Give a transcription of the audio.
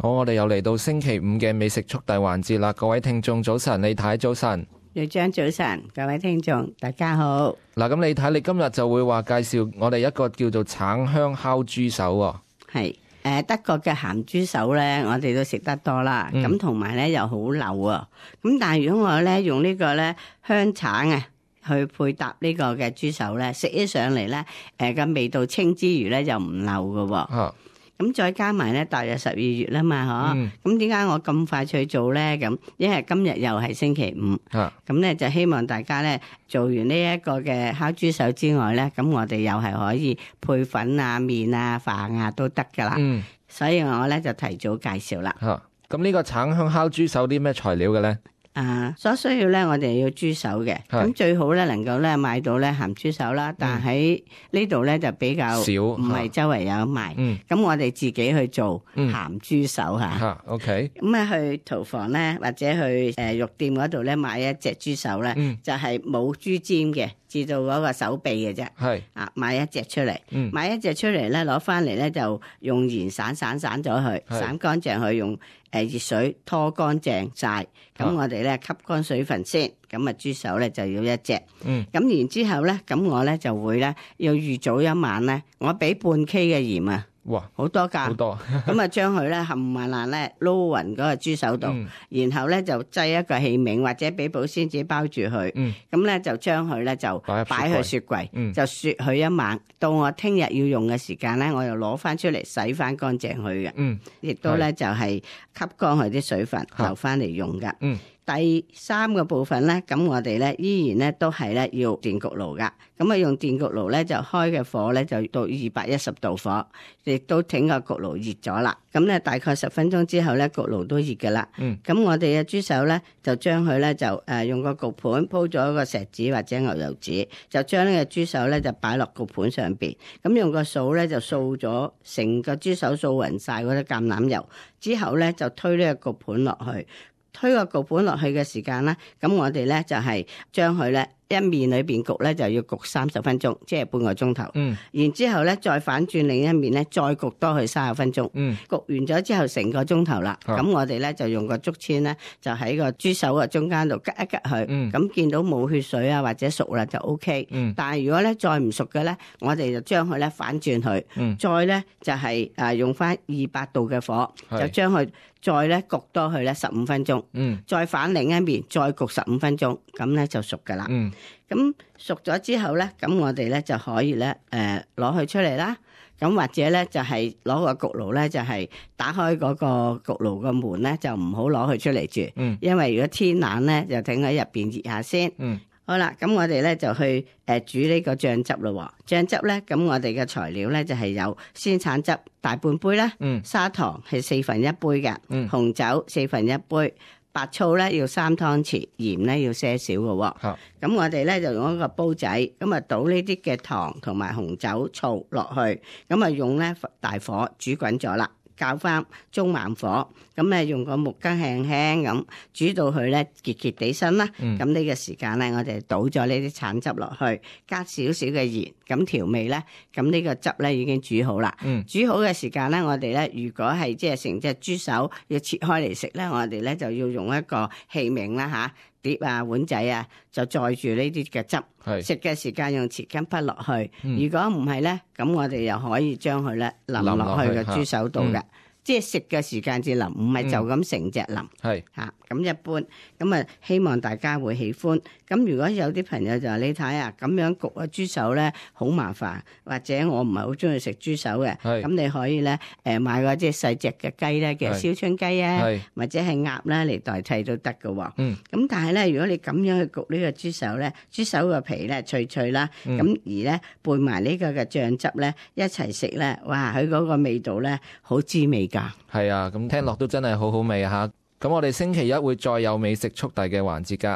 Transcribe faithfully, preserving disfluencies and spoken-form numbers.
好，我哋又嚟到星期五嘅美食速遞環節啦。各位聽眾早晨，李太早晨，廖張早晨，各位聽眾大家好。嗱，咁李太你今日就會話介紹我哋一個叫做橙香烤豬手喎。係誒，德國嘅鹹豬手咧，我哋都食得多啦。咁同埋咧又好流啊。咁但係如果我咧用呢個咧香橙啊去配搭呢個嘅豬手咧，食起上嚟咧誒個味道清之餘咧又唔流㗎喎。啊咁再加埋咧，大約十二月啦嘛，嗬、嗯。咁點解我咁快去做咧？咁因為今日又係星期五，咁咧、啊、就希望大家咧做完呢一個嘅烤豬手之外咧，咁我哋又係可以配粉啊、麵啊、飯啊都得噶啦。嗯、所以我咧就提早介紹啦。咁呢、啊、個橙香烤豬手啲咩材料嘅咧？啊，所需要咧，我哋要豬手嘅，咁最好咧能夠咧買到咧鹹豬手啦，但喺呢度咧就比較少，唔係周圍有賣。咁、嗯、我哋自己去做鹹豬手吓。吓、嗯、，OK。咁啊去屠房咧或者去誒肉店嗰度咧買一隻豬手咧，嗯、就係冇豬尖嘅，至到嗰個手臂嘅啫。係啊，買一隻出嚟，嗯、買一隻出嚟咧，攞翻嚟咧就用鹽散散散咗佢，散乾淨佢用。誒，熱水拖乾淨晒，咁我哋咧吸乾水分先，咁啊豬手咧就要一隻，嗯，咁然之後咧，咁我咧就會咧要預早一晚咧，我俾半 K 嘅鹽啊。哇，好多噶，好多，咁啊將佢咧冚唪唥咧撈勻嗰個豬手度，嗯、然後咧就擠一個器皿或者俾保鮮紙包住佢，咁咧、嗯、就將佢咧就擺去雪櫃，嗯、就雪佢一晚，到我聽日要用嘅時間咧，我又攞翻出嚟洗翻乾淨佢嘅，亦、嗯、都咧是就係吸乾佢啲水分，留翻嚟用噶。嗯第三個部分咧，咁我哋咧依然咧都係咧要電焗爐噶，咁啊用電焗爐咧就開嘅火咧就到二百一十度火，亦都整個焗爐熱咗啦。咁咧大概十分鐘之後咧焗爐都熱噶啦。嗯。咁我哋嘅豬手咧就將佢咧就誒用個焗盤鋪咗一個錫紙或者牛油紙，就將呢個豬手咧就擺落焗盤上邊，咁用個掃咧就掃咗成個豬手掃勻晒嗰啲橄欖油，之後咧就推呢個焗盤落去。推個焗盤落去嘅時間咧，咁我哋咧就係將佢咧一面裏邊焗咧就要焗三十分鐘，即係半個鐘頭。嗯。然之後咧再反轉另一面咧，再焗多佢三十分鐘。嗯。焗完咗之後成個鐘頭啦，咁、啊、我哋咧就用個竹籤咧，就喺個豬手嘅中間度吉一吉佢。嗯。咁見到冇血水啊或者熟啦就 O K。嗯。但係如果咧再唔熟嘅咧，我哋就將佢咧反轉佢。嗯。再咧就係誒用翻二百度嘅火，是就將佢。再咧焗多佢咧十五分鐘，嗯，再反另一面，再焗十五分鐘，咁咧就熟噶啦。嗯，咁熟咗之後咧，咁我哋咧就可以咧，誒攞佢出嚟啦。咁或者咧就係攞個焗爐咧，就係打開嗰個焗爐個門咧，就唔好攞佢出嚟住。嗯，因為如果天冷咧，就等喺入邊熱下先。嗯。好啦，咁我哋咧就去誒煮呢個醬汁咯。醬汁咧，咁我哋嘅材料咧就係有鮮橙汁大半杯啦，嗯、砂糖係四分一杯嘅，嗯、紅酒四分一杯，白醋咧要三湯匙，鹽咧要些少嘅。咁、啊、我哋咧就用一個煲仔，咁啊倒呢啲嘅糖同埋紅酒醋落去，咁啊用咧大火煮滾咗啦。較翻中慢火，咁咧用個木羹輕輕咁煮到佢咧結結地身啦。咁呢、嗯、個時間咧，我哋倒咗呢啲橙汁落去，加少少嘅鹽，咁調味咧，咁呢個汁咧已經煮好啦。嗯、煮好嘅時間咧，我哋咧如果係即係成隻豬手要切開嚟食咧，我哋咧就要用一個器皿啦吓。碟啊碗仔啊就載住呢啲嘅汁，食嘅時間用匙羹滗落去。嗯、如果唔係咧，咁我哋又可以將佢咧淋落去個豬手度嘅。即係食嘅時間至淋，唔係就咁成隻淋。係嚇咁一般，咁啊希望大家會喜歡。咁如果有啲朋友就話你睇啊，咁樣焗個豬手咧好麻煩，或者我唔係好中意食豬手嘅，咁你可以咧誒買個即係細隻嘅雞咧嘅燒春雞啊，或者係鴨咧嚟代替都得嘅喎。嗯。咁但係咧，如果你咁樣去焗呢個豬手咧，豬手個皮咧脆脆啦，咁、嗯、而咧配埋呢個嘅醬汁咧一齊食咧，哇！佢嗰個味道咧好滋味㗎。係啊，咁聽落都真係好好味啊嚇！咁我哋星期一會再有美食速遞嘅環節㗎。